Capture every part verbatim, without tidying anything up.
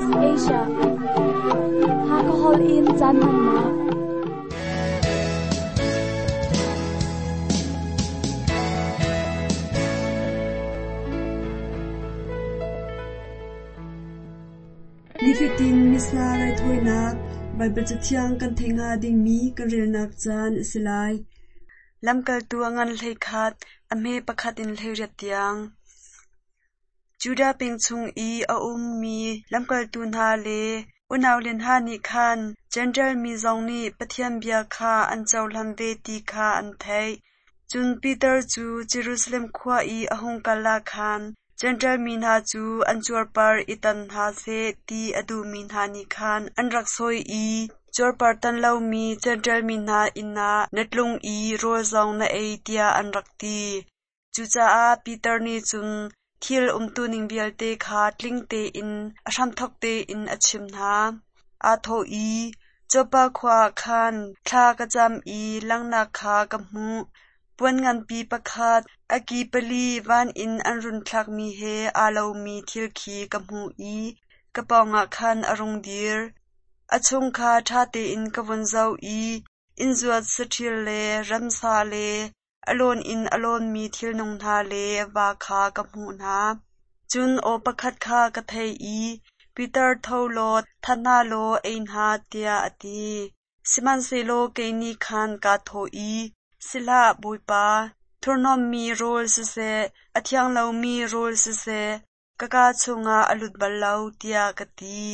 S Asia. Hakahol in caan hmannak. Nifatin Missa raithawinak Baibal Cathiang kan theih hnga dingmi kan relnak caan a si lai. Lamkaltu a ngan hleikhat, a hme pakhat in hleiriat tiang. Judah peng chung i a ummi lamkaltu hna le unau le hna nih khan Jentail mi zong nih Pathian bia kha an cohlan ve ti kha an theih. Cun Peter cu Jerusalem khua i a hung kal ah khan Jentail mi hna cu an cuarpar i tan hna seh ti a duhmi hna nih khan an rak sawi i cuarpar tan lomi Jentail mi hna inn ah na tlung i rawl zong na ei tiah an rak ti. Cucaah Peter nih cun thil umtuning vialte kha tling tein a hramthawk tein a chimh hna. Aa thawh i, Joppa khua ah khan thla ka cam i langhnak kha ka hmuh. Puan nganpi pakhat, a ki pali van in an run thlakmi he aa lomi thil khi ka hmuh i ka pawngah khan a rung dir. A chung kha ṭha tein ka vun zoh i innzuat saṭil le ramsa le a lawn in a lawnmi thilnung hna le va kha ka hmuh hna. Cun aw pakhat kha ka theih i, Peter tho law that hna law ei hna, tiah a ti. Sihmanhsehlaw kei nih khan kaa thawh i, Si hlah, Bawipa, thurhnawmmi rawl siseh, a thiang lomi rawl siseh, ka kaa chungah a lut bal lo, tiah ka ti.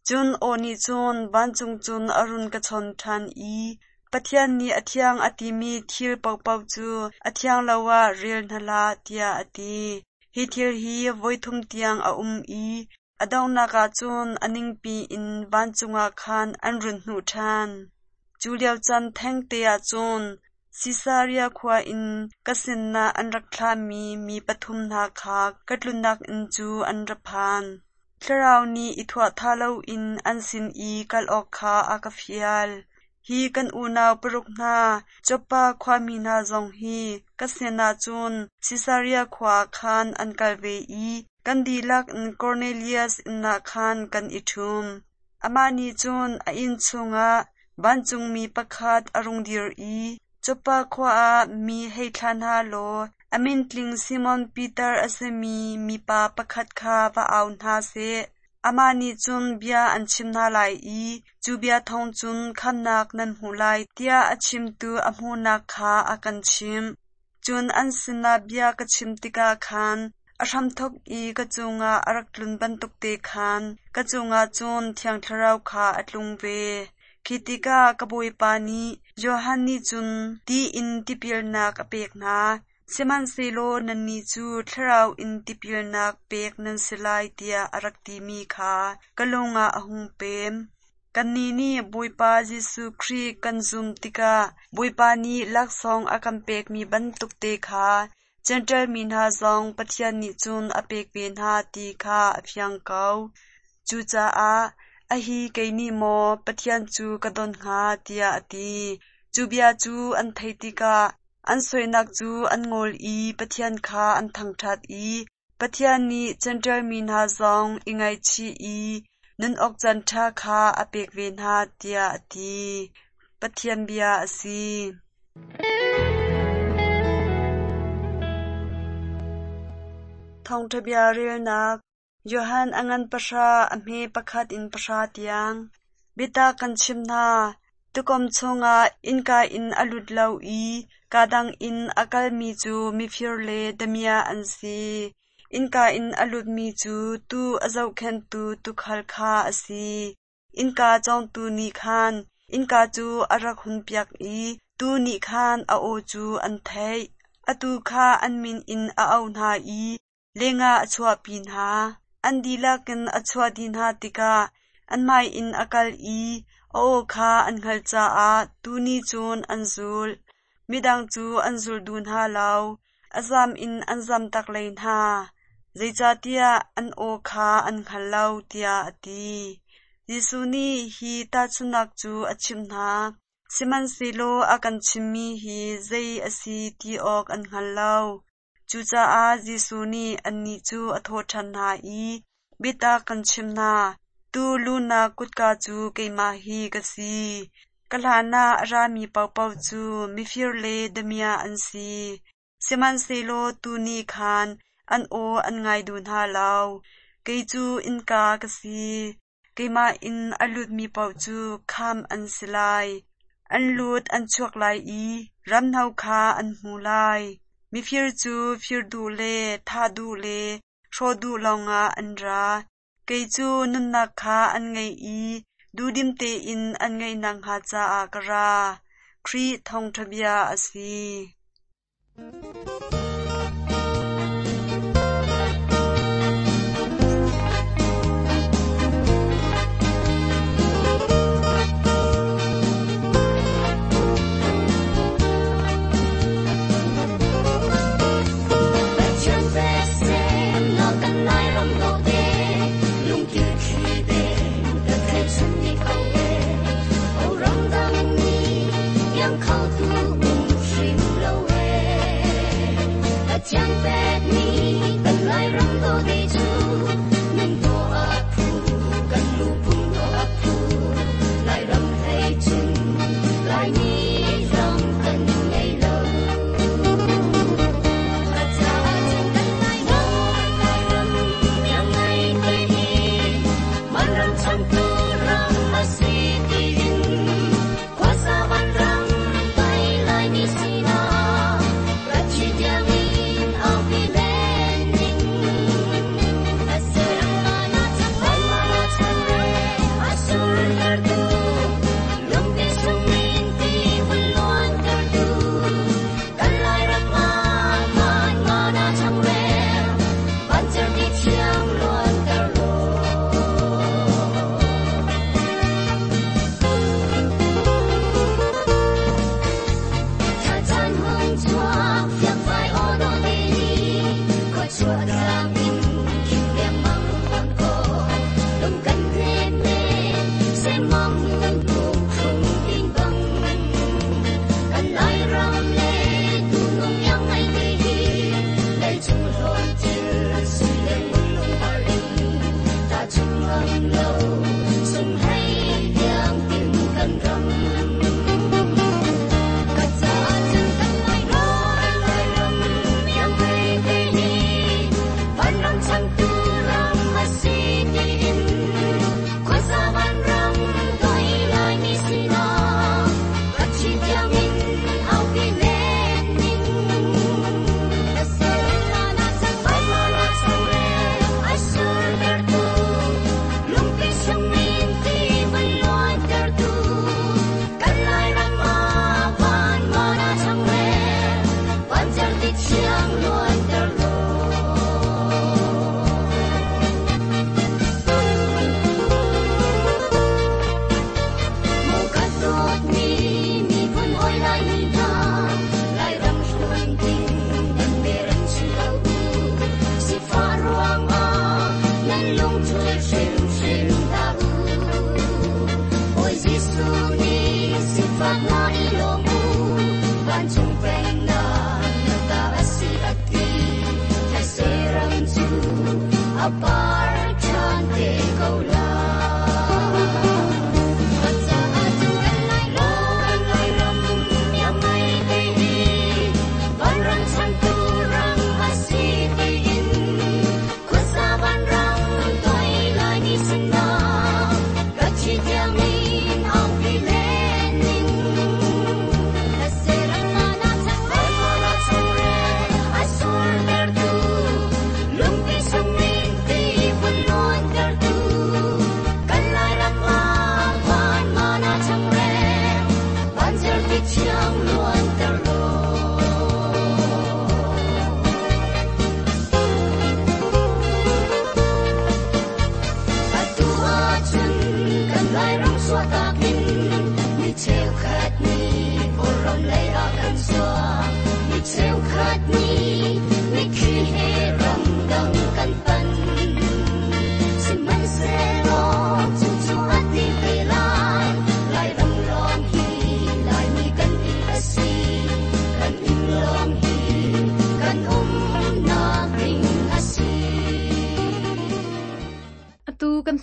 Cun aw nih cun vancung cun a run ka chawn ṭhan i, Pathian nih a thiang a timi thil paohpaoh cu a thiang lo ah rel hna hlah, tiah a ti. Hi thil hi voithum tiang a um i a donghnak ah cun a ningpi in vancung ah khan an run hnuh ṭhan. Cu lio caan thengte ah cun Sisaria khua in ka sinah an rak thlahmi mi pathum hna kha ka tlunnak inn cu an ra phan. Thlarau nih i thuah loin an sin i kal awk kha a ka fial. Hi kan unau paruk hna, Joppa khuami hna zong hi ka sinah cun Sisaria khua ah khan an kal ve i kan dihlak in Kornelias inn ah khan kan i ṭhum. Amah nih cun a inn chungah vancungmi pakhat a rung dir i, Joppa khua ah mi hei thlah hna law a min tling Simon Peter a simi mipa pakhat kha va au hna seh. Amah nih cun bia an chim hna lai i cu bia thawng cun khamhnak nan hmuh lai, tiah a chimtu a hmuhnak kha a kan chimh. Cun an sinah bia ka chim tikah khan a hramthawk i ka cungah a rak tlun bantuk te khan ka cungah cun Thiang Thlarau kha a tlung ve. Khi tikah ka Bawipa nih Johan nih cun ti in tipilnak a pek hna, sihmanhsehlaw nannih cu Thlarau in tipilnak pek nan si lai tiah a rak timi kha ka lung ah a hung pem. Kannih nih Bawipa Jesuh Khrih kan zum tikah Bawipa nih laksawng a kan pekmi bantuk te kha Jentail mi hna zong Pathian nih cun a pek ve hna ti kha a fiang ko. Cucaah a hi kei nih maw Pathian cu ka don hnga, tiah a ti. Cu bia cu an theih tikah an sawinak cu an ngol i Pathian kha an thangṭhat i Pathian nih Jentail mi hna zong i ngaihchih i nun awk caan ṭha kha a pek ve hna, tiah a ti. Pathian bia a si. Thawngṭha bia relnak Johan a ngan pahra, a hme pakhat in pahra tiang. Biatak kan chim hna, tuukawm chungah innka in a lut lo i kaa dang in a kalmi cu mifir le damiah an si. Innka in a lutmi cu tuu a zohkhenhtu tuukhal kha a si. Innka cawngtu nih khan innka cu a rak hunpiak i tuu nih khan a aw cu an theih. A tuu kha an min in a auh hna i lengah a chuahpi hna. An dihlak in a chuah dih hna tikah an hmai in a kal i a aw kha an hngalh caah tuu nih cun an zulh. Midang cu an zul duh hna lo, a zam in an zamtak lei hna, zeicahtiah an aw kha an hngal lo, tiah a ti. Jesuh nih hi tahchunhnak cu a chimh hna, sihmanhsehlaw a kan chimmi hi zei a si ti awk an hngal lo. Cucaah Jesuh nih annih cu a thawh ṭhan hna i, Biatak kan chim hna. Tuu luhnak kutka cu keimah hi ka si. Ka hlan ah a rami paohpaoh cu mifir le damiah an si. Sihmanhsehlaw tuu nih khan an aw an ngai duh hna lo. Kei cu innka ka si. Keimah in a lutmi paoh cu khamh an si lai. An lut an chuak lai i ramhno kha an hmu lai. Mifir cu fir duh le thah duh le hrawh duh lawngah an ra. Kei cu nunnak kha an ngeih i duhdim tein an ngeih nakhnga caah ka ra. Khrih thawngṭha bia a si.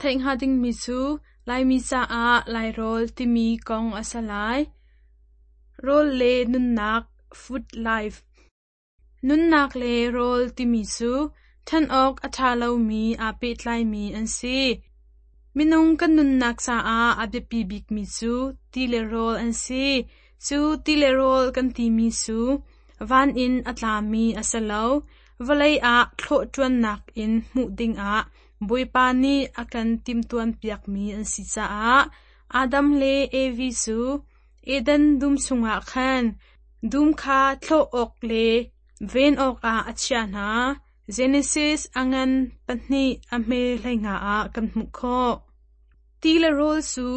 Kan theih hnga dingmi cu Laimi caah Lairawl timi kong a si lai. Rawl le nunnak (Food Life). Nunnak le rawl timi cu ṭhen awk a ṭha lomi aa pehtlaimi an si. Minung kan nunnak caah a biapi bikmi cu ti le rawl an si. Cu ti le rawl kan timi cu van in a tlami a si lo. Vawlei ah thlawh ṭuannak in hmuh dingah Bawipa nih a kan timhtuanpiakmi an si caah Adam le Evi cu Eden dum chungah khan dum kha thlawh awk le ven awkah a chiah hna. Genesis a ngan pahnih a hme hleinga ah kan hmuh khawh. Ti le rawl cu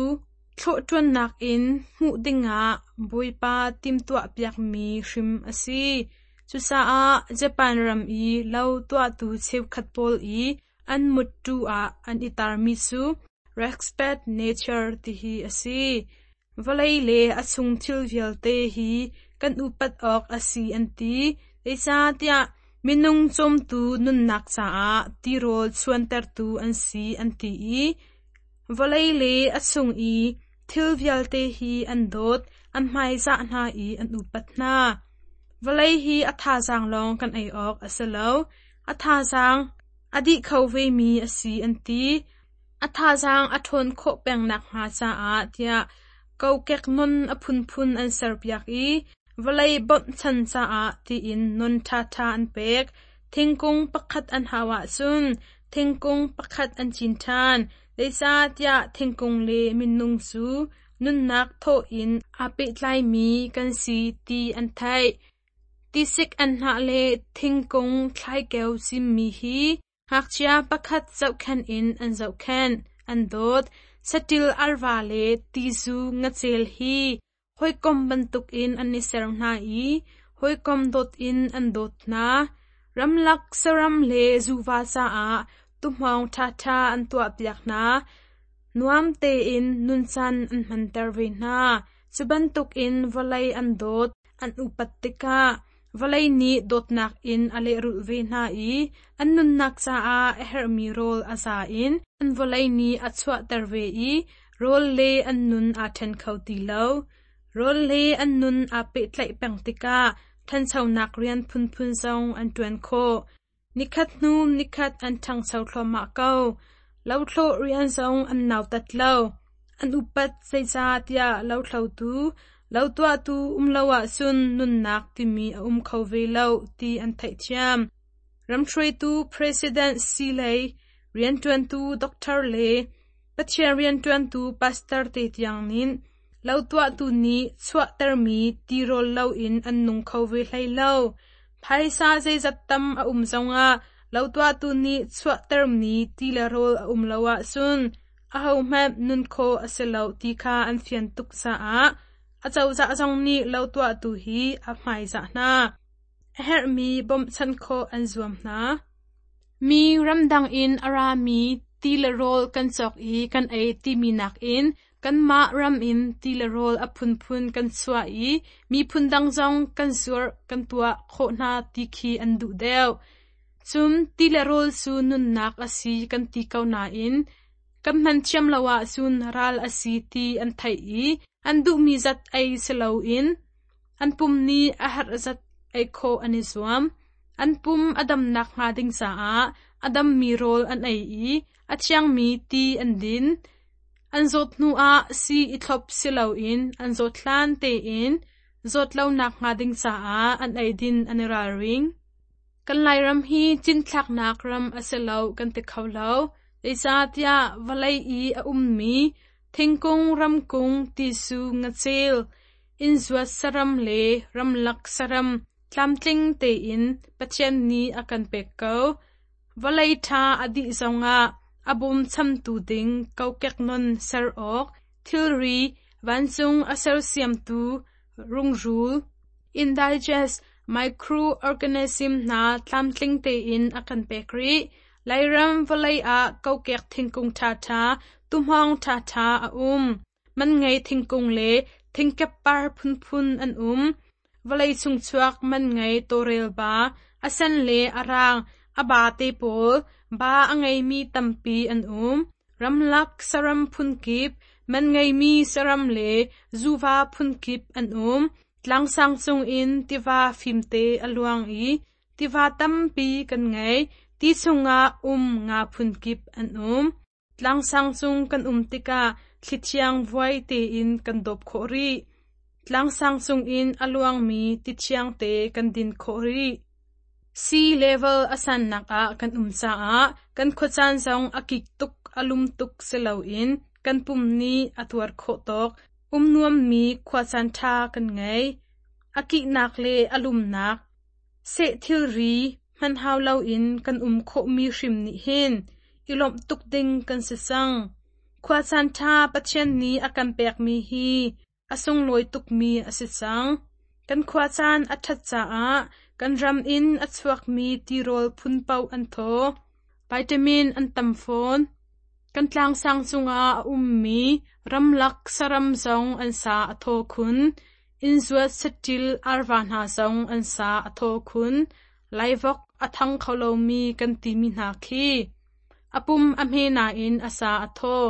thlawh ṭuannak in hmuh dingah Bawipa timhtuahpiakmi hrim a si. Cucaah Japan ram i lo tuahtu cheukhat pawl i an muttu ah an i tarmi cu "Respect Nature" tihi a si. Vawlei le a chung thil vialte hi kan upat awk a si an ti. Zeicahtiah minung cawmtu nunnak caah tirawl chuantertu an si an ti i vawlei le a chung i thil vialte hi an dawt, an hmaizah hna i an upat hna. Vawlei hi a thazaang lawng kan ei awk a si lo. A thazaang a dih kho vemi a si an ti. A thazaang a ṭhawn khawh peng nakhnga caah tiah kokek non a phunphun an serpiak i vawlei bawmhchan caah tiin non ṭhaṭha an pek. Thingkung pakhat an hau ahcun thingkung pakhat an cin ṭhan. Zeicahtiah thingkung le minung cu nunnak thaw in aa pehtlaimi kan si ti an theih. Tisik anhnah le thingkung thlaikeo cimmi hi ngakchia pakhat zohkhenh in an zohkhenh, an dawt. Saṭil arva le tizu ngacel hi hawikom bantukin an i ser hna i hawikom dawt in an dawt hna. Ramlak saram le zuva caah tuhmawng ṭhaṭha an tuahpiak hna. Nuam tein nuncan an hmanter ve hna. Cu bantukin vawlei an dawt, an upat tikah vawlei nih dawtnak in a lehrulh ve hna i an nunnak caah a herhmi rawl a za in an vawlei nih a chuahter ve i rawl le an nun aa ṭhen kho ti lo. Rawl le an nun aa pehtlaih peng tikah ṭhanchonak rian phunphun zong an ṭuan khawh. Nikhat hnu nikhat an ṭhangcho thluahmah ko. Lothlawh rian zong an nautat lo. An upat zeicahtiah lothlotu, lotuahtu um lo ahcun nunnak timi a um kho ve lo ti an theihthiam. Ramhruaitu President si lei, rianṭuantu doctor le Pathian rianṭuantu pastor te tiang nih lotuahtu nih chuahtermi tirawl loin an nung kho ve hlei lo. Phaisa zeizat tam a um zongah lotuahtu nih chuahtermi ti le rawl a um lo ahcun ahohmanh nun khawh a si lo ti kha an fian tuk caah acozah zong nih lotuahtu hi a hmaizah hna. A herhmi bawmhchanh khawh an zuam hna. Mi ramdang in a rami ti le rawl kan cawk i kan ei timi nakin kanmah ram in ti le rawl a phunphun kan chuah i miphun dang zong kan zuarh kan tuah khawh hna ti khi an duh deuh. Cun ti le rawl cu nunnak a si kan ti ko nain kan hman thiam lo ahcun ral a si ti an theih i an duhmi zat ei si loin an pum nih a herh zat ei khawh an i zuam. An pum a damnak hnga ding caah a dammi rawl an ei i a thiangmi ti an din. An zawt hnuah sii i thlop si loin an zawt hlan tein zawt lonak hnga ding caah an eidin an i ralring. Kan Lairam hi cinthlaknak ram a si lo kan ti kho lo. Zeicahtiah vawlei i a ummi thingkung, ramkung, tisu, ngacel, innzuat saram le ramlak saram tlamtling tein Pathian nih a kan pek ko. Vawlei ṭha a dih zongah a bawmchamtu ding kokek non ser awk, thilri, vancung a sersiamtu rungrul, indigest microorganism hna tlamtling tein a kan pek rih. Lairam vawlei ah kokek thingkung ṭhaṭha, tuhmawng ṭhaṭha a um. Man ngei thingkung le thingkeppar phunphun an um. Vawlei chung chuak man ngei tawlrel ba, a sen le a rang, a ba te pawl, ba a ngeimi tampi an um. Ramlak saram phunkip, man ngeimi saram le zuva phunkip an um. Tlangsang cungin tiva fimte a luang i tiva tampi kan ngei. Ti chungah um nga phunkip an um. Tlangsang cung kan um tikah thlithiang vuai tein kan dawp khawh rih. Tlangsang cungin a luangmi tithiang te kan din khawh rih. Sea level a sannak ah kan um caah kan khuacaan zong a kik tuk a lum tuk si loin kan pum nih a tuar khawh tawk um nuammi khuacaan ṭha kan ngei. A kihnak le a lumnak seh thilri hman hau loin kan um khawhmi hrim nih hin i lawmh tuk ding kan si cang. Khuacaan ṭha Pathian nih a kan pekmi hi a sunglawi tukmi a si cang. Kan khuacaan a ṭhat caah kan ram in a chuakmi tirawl phun paoh an thaw. Vitamin an tam fawn. Kan tlangsang cungah a ummi ramlak saram zong an sa a thaw khun. Innzuat saṭil arva hna zong an sa a thaw khun. Laivok a thang kho lomi kan timi hna khi. A pum a hme nain a sa a thaw.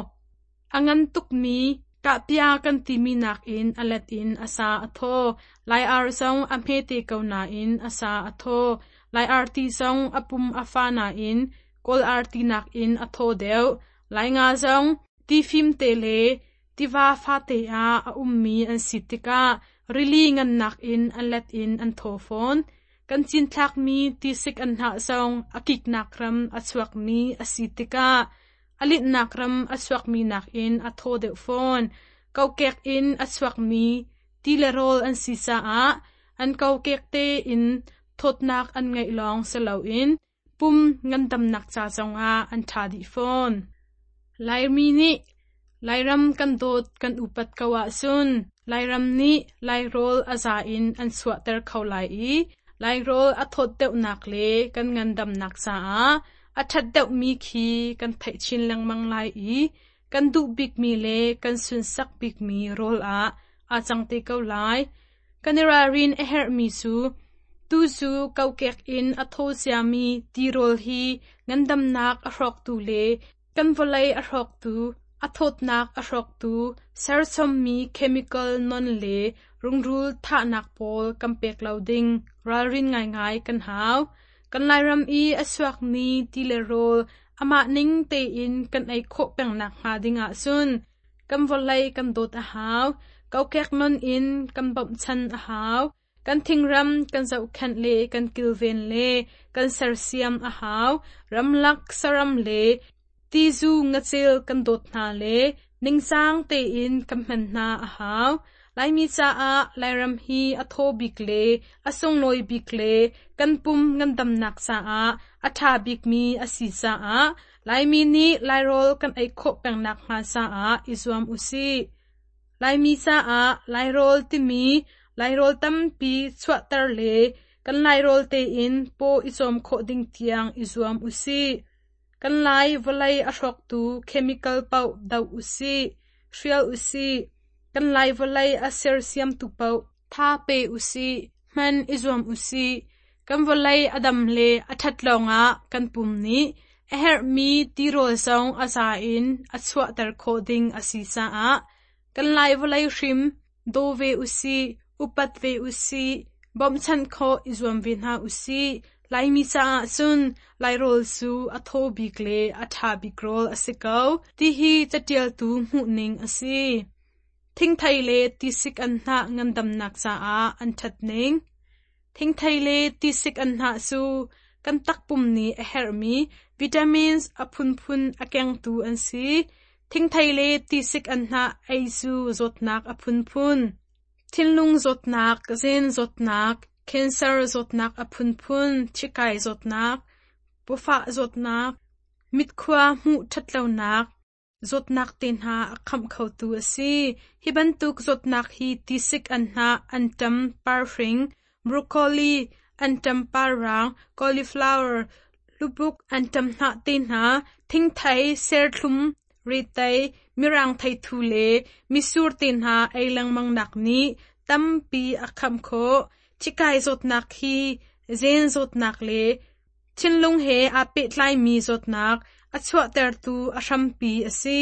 A ngan tukmi kahpia kan timi nakin a let in a sa a thaw. Lai ar zong a hmete ko nain a sa a thaw. Lai arti zong a pum a fa nain Kawl arti nakin a thaw deuh. Lai nga zong tifim te le tiva fate ah a ummi an si tikah rili ngannak in a let in an thaw fawn. Kan cinthlakmi tisik an hnah zong a kiknak ram a chuakmi a si tikah a linhnak ram a chuakmi nakin a thaw deuh fawn. Kokek in a chuakmi ti le rawl an si caah an kokek tein thawtnak an ngeih lawng si loin pum ngandamnak ca zongah an ṭha dih fawn. Laimi nih Lairam kan dawt kan upat ko ahcun Lairam nih Lairawl a za in an chuahter kho lai i Lairawl a thawt deuhnak le kan ngandamnak caah a ṭhat deuhmi khi kan theih chin lengmang lai i kan duh bikmi le kan sunsak bikmi rawl ah aa cang te ko lai. Kan i ralrin a herhmi cu tu cu kokek in a thaw ciami tirawl hi ngandamnak a hrawktu le kan vawlei a hrawktu, a thawtnak a hrawktu, serchommi chemical non le rungrul thahnak pawl kan pek lo ding ralrin ngaingai kan hau. Kan Lairam i a chuakmi ti le rawl amah ning tein kan ei khawh pengnak hnga ding ahcun kan vawlei kan dawt a hau, kokek non in kan bawmhchan a hau, kan thingram kan zohkhenh le kan kilven le kan sersiam a hau, ramlak saram le tizu ngacel kan dawt hna le ningcang tein kan hman hna a hau. Laimi caah Lairam hi a thaw bik le a sunglawi bik le kan pum ngandamnak caah a ṭha bikmi a si caah Laimi nih Lairawl kan ei khawh pengnak hnga caah i zuam usih. Laimi caah Lairawl timi Lairawl tampi chuahter le kan Lairawl tein paw i cawm khawh ding tiang i zuam usih. Kan Lai vawlei a hrawktu chemical paoh doh usih, hrial usih. Kan Lai vawlei a sersiamtu paoh tha pe usih, hman i zuam usih. Kan vawlei a dam le a ṭhat lawngah kan pum nih a herhmi tirawl zong a za in a chuahter khawh ding a si caah kan Lai vawlei hrim daw ve usih, upat ve usih, bawmhchanh khawh i zuam ve hna usih. Laimi caah cun Lairawl cu a thaw bik le a ṭha bik rawl a si ko, tihi caṭialtu hmuhning a si. Thingthei le tisik an hnah ngandamnak caah an ṭhat ning. Thingthei le tisik an hnah cu kan takpum nih a herhmi vitamins a phunphun a kengtu an si. Thingthei le tisik an hnah ei cu zawtnak a phunphun. Thinlung zawtnak, zen zawtnak, cancer zawtnak a phunphun, thikai zawtnak, pawfah zawtnak, mitkhua hmuh ṭhatlonak, zawtnak te hna a khamh khotu a si. Hi bantuk zawtnak hi tisik an hnah, anṭam parhring, broccoli, anṭam parrang, cauliflower, lubuk anṭam hnah te hna, thingthei, serthlum, retei, mirang theithu le misur te hna ei lengmang nak nih tampi a khamh khawh. Thikai zawtnak hi zen zawtnak le thinlung he aa pehtlaimi zawtnak, a chuahtertu a hrampi a si.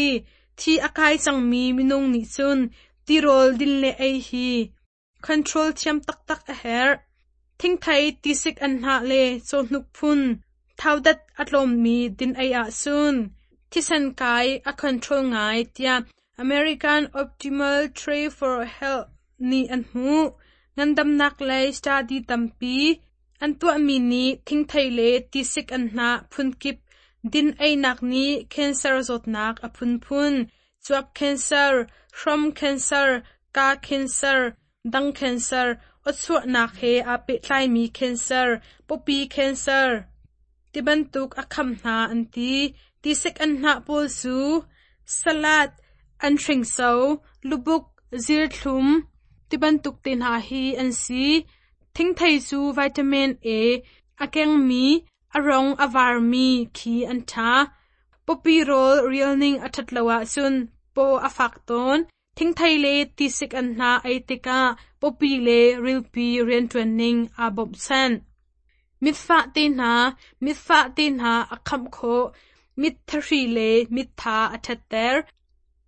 Thi a kai cangmi minung nih cun tirawl din le ei hi control thiam taktak a herh. Thingthei tisik anhnah le cawhnuk phun thaudat a tlawmmi din ei ahcun thisen kai a control ngai tiah American Optimal Tray for Health nih an hmuh. Ngandamnak lei study tampi an tuahmi nih thingthei le tisik anhnah phunkip din einak nih cancer zawtnak a phunphun, cuap cancer, hrom cancer, kaa cancer, dang cancer, awchuahnak he aa pehtlaimi cancer, pawpi cancer tibantuk a kham hna an ti. Tisik anhnah pawl cu salad, anhringso, lubuk, zirthlum tibantuk te hna hi an si. Thingthei cu vitamin A a kengmi, a rong a varmi khi an ṭha. Pawpi rawl rialning a ṭhat lo ahcun paw a fak tawn. Thingthei le tisik anhnah ei tikah pawpi le rilpi rianṭuan ning aa bawmhchanh. Mitfah te hna, mitfah te hna a khamh khawh. Mit thahri le mittha a ṭhatter.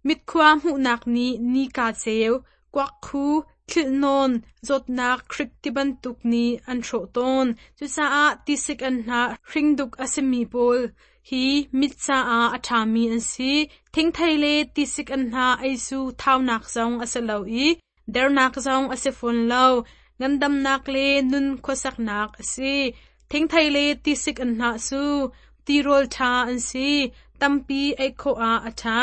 Mitkhua hmuhnak nih nika ceu, kuakkhu, thlilhnawn, zawtnak hrik tibantuk nih an hrawh tawn. Cucaah tisik anhnah hringduk a simi pawl hi mit caah a ṭhami an si. Thingthei le tisik anhnah ei cu thaunak zong a si lo i dernak zong a si fawn lo. Ngandamnak le nun khuasaknak a si. Thingthei le tisik anhnah cu tirawl ṭha an si. Tampi ei khawh ah a ṭha.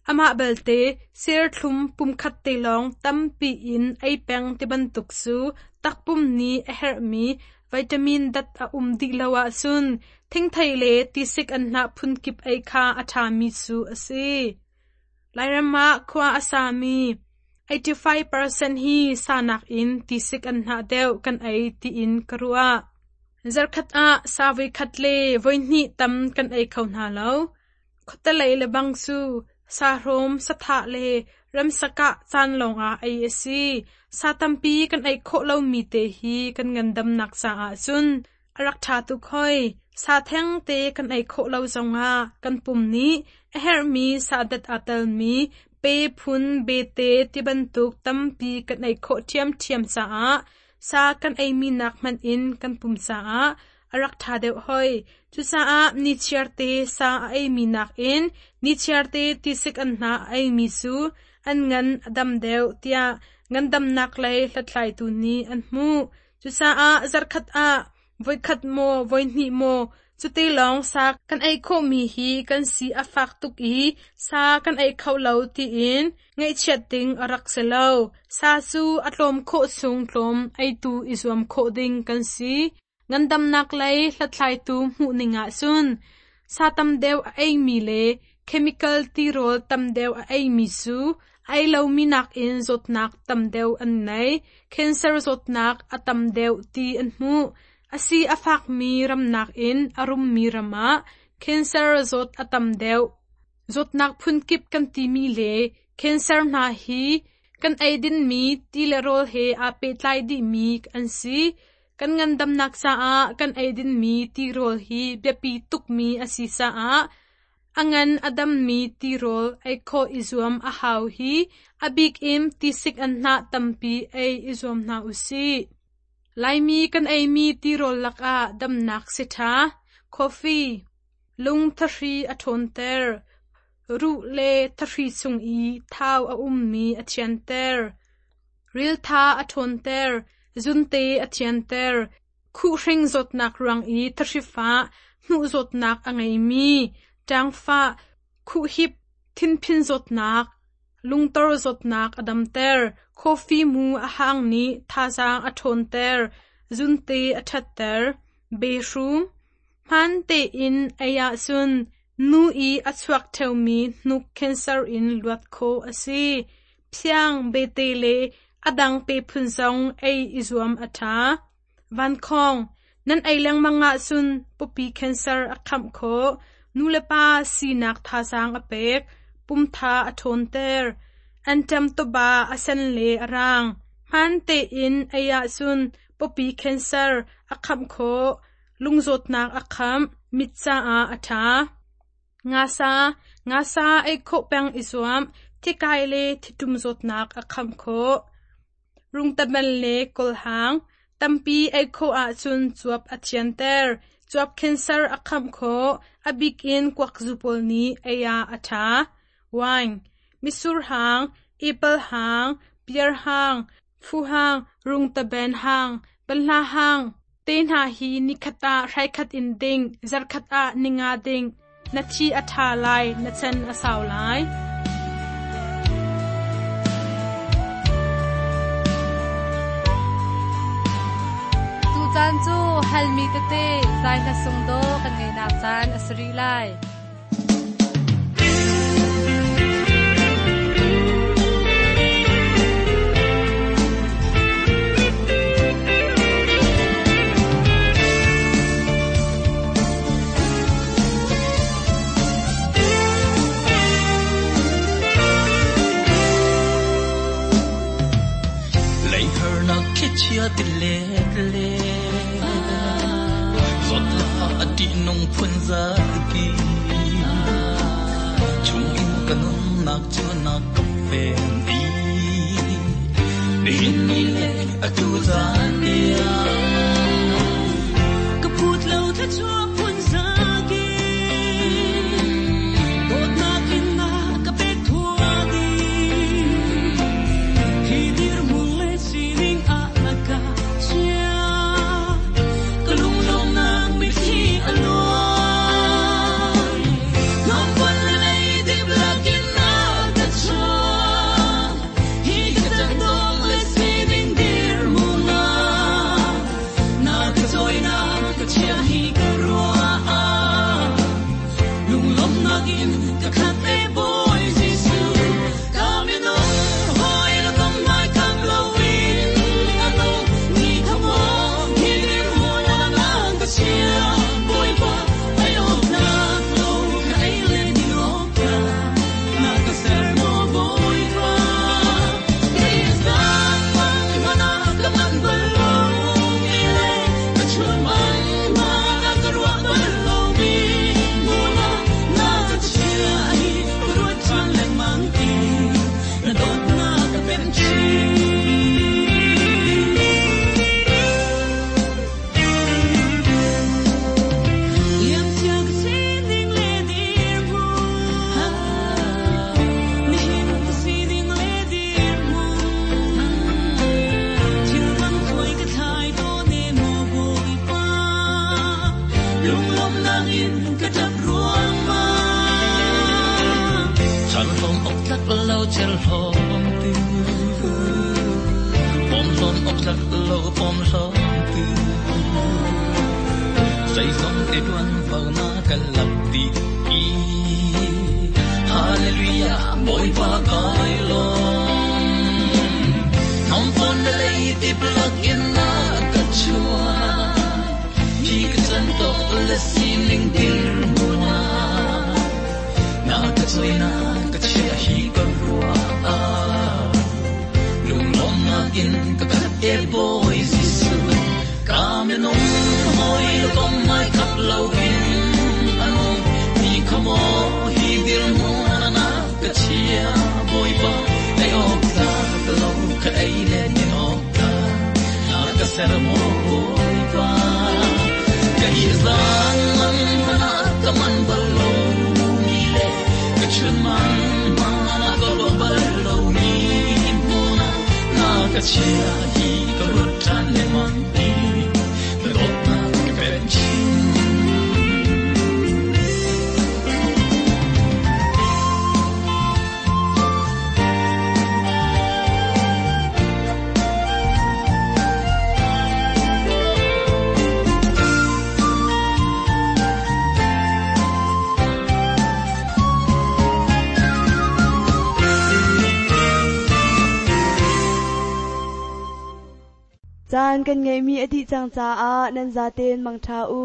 Amah belte serthlum pumkhat te lawng tampi in ei peng tibantuk cu takpum nih a herhmi vitamin dat a um dih lo ahcun thingthei le tisik anhnah phunkip ei kha a ṭhami cu a si. Lairam ah khua a sami eighty-five percent hi sa nakin tisik anhnah deuh kan ei tiin ka ruah. Zarkhat ah sa voikhat le voihnih tam kan ei kho hna lo. Khuatelei le bang cu sahrawm, sathah le ramsakah caan lawngah ei a si. Sa tampi kan ei khawh lomi te hi kan ngandamnak caah cun a rak ṭha tuk hoi. Sa theng te kan ei khawh lo zongah kan pum nih a herhmi sadat aa telmi pe phun bete tibantuk tampi kan ei khawh ṭhiamṭhiam caah sa kan eimi nak hmanh in kan pum caah a rak ṭha deuh hoi. Cucaah nichiarte sa a eimi nakin nichiarte tisik anhnah a eimi cu an ngan a dam deuh tiah ngandamnak lei hlathlaitu nih an hmuh. Cucaah zarkhat ah voikhat maw voihnih maw cuti lawng sa kan ei khawhmi hi kan si a fak tuk i sa kan ei kho lo tiin ngaihchiat ding a rak si lo. Sa cu a tlawm khawh chung tlawm eitu i zuam khawh ding kan si. Ngandamnak lei hlathlaitu hmuh ning ahcun sa tam deuh a eimi le chemical tirawl tam deuh a eimi cu ei lomi nakin zawtnak tam deuh an nei. Cancer zawtnak a tam deuh ti an hmuh. A si a fakmi ram nakin a rummi ram ah cancer zawt a tam deuh. Zawtnak phunkip kan timi le cancer hna hi kan ei dinmi ti le rawl he aa pehtlai dihmi an si. Kan ngandamnak caah kan ei dinmi tirawl hi biapi tukmi a si caah a ngan a dammi tirawl ei khawh i zuam a hau hi a bik in tisik anhnah tampi ei i zuam hna usih. Laimi kan eimi tirawl lakah damnak si ṭha. Coffee, lung thahri a ṭhawnter. Ruh le thahri chung i thau a ummi a thianter. Riltha a ṭhawnter. Zunte a thianter. Khuhhring zawtnak ruang i thahri fah, hnuh zawtnak a ngeimi, ṭangfah, khuhhip, thinphin zawtnak, lungtor zawtnak a damter. Coffee mu a hang nih thazaang a ṭhawnter. Zunte a ṭhatter. Behrum, hmaan tein ei ahcun nu i a chuak ṭheumi hnuk cancer in luat khawh a si. Phiang, bete le a dang pe phun zong ei i zuam a ṭha. Vankhawng, nan ei lengmang ahcun pawpi cancer a khamh khawh. Nulepa sinak thazaang a pek. Pumtha a ṭhawnter. Anṭam tawba a sen le a rang. Hmaan tein ei ahcun pawpi cancer a khamh khawh. Lungzawtnak a khamh. Mit caah a ṭha. Ngasa, ngasa ei khawh peng i zuam, thikai le thitum zawtnak a kham khawh. Rungtaban le kawlhang, tampi ei khawh ahcun cuap a thianter. Cuap cancer a kham khawh, a bik in kuakzu pawl nih ei ah a ṭha. Wine, mitsur hang, apple hang, pear hang, fu hang, rungtaban hang, banhla hang, te hna hi nikhat ah hraikhat in ding, zarkhat ah ninga ding. Na thi a ṭha lai, na chan a sau lai. Tucaan cu halmi tete zai hla sung dawh kan ngeihnak caan a si rih lai. Chia ti le le zot la ati nung phun za ki chung in kanun nak chu nak ka pen i ni hin ni le atu zan dia ka phut lo tha chua phun za ki dot na kin na ka pek thua di hi dir mun le sining a na ka chia ka lung lom nang mi thi alon ngam pon le dip lakin na ka chua hi ka chan dong le sining dir mun na na ka choi na ka chia hi ka rua lung lom nakin ka khat e boy Jesu ka mi no hoi la kom mai kam lo in ano ni khamo hi dir mo na na ka chia boy pa ai ok na lo ka ai le di ok ka na ka ser mo boy pa is that man mana ka man bal lo ni le ka chun man ma na ka ruwa bal lo mi mo na na ka chia hi ruwa chan le mang ti na dot na ka pen chi. Liam tia ka sining le dir mu ni hin ka sining le dir mu thil dang khoi ka thai to ne mo boi pa lung lom nang in ka tap ruang ma chan lom ok tlak lo chel hom tu pom lom ok tlak lo pom lom tu say song te tuan vau na ka lap ti i hallelujah boy pa kai lo nom pon le ti plak in na ka chua hi ka chan tok le sining dir mu na na ka choi na ka chia hi ka rua lung lom na in ka khat e boy Jesu ka me nong hoi lo kom mai khap lo in ano ni khamo hi dir mu na na ka chia boy pa ai ok ta ka lo ka ai le ni ok ta na ka ser mo boy pa ka hi zang man mana ka man bal lo ni le ka chun man ma na ka lo bal lo ni mo na na ka chia hi ka rut chan le man ti na dot na ka pen chi. Caan kan ngeihmi a dih cang caah nan zaten mangṭha u.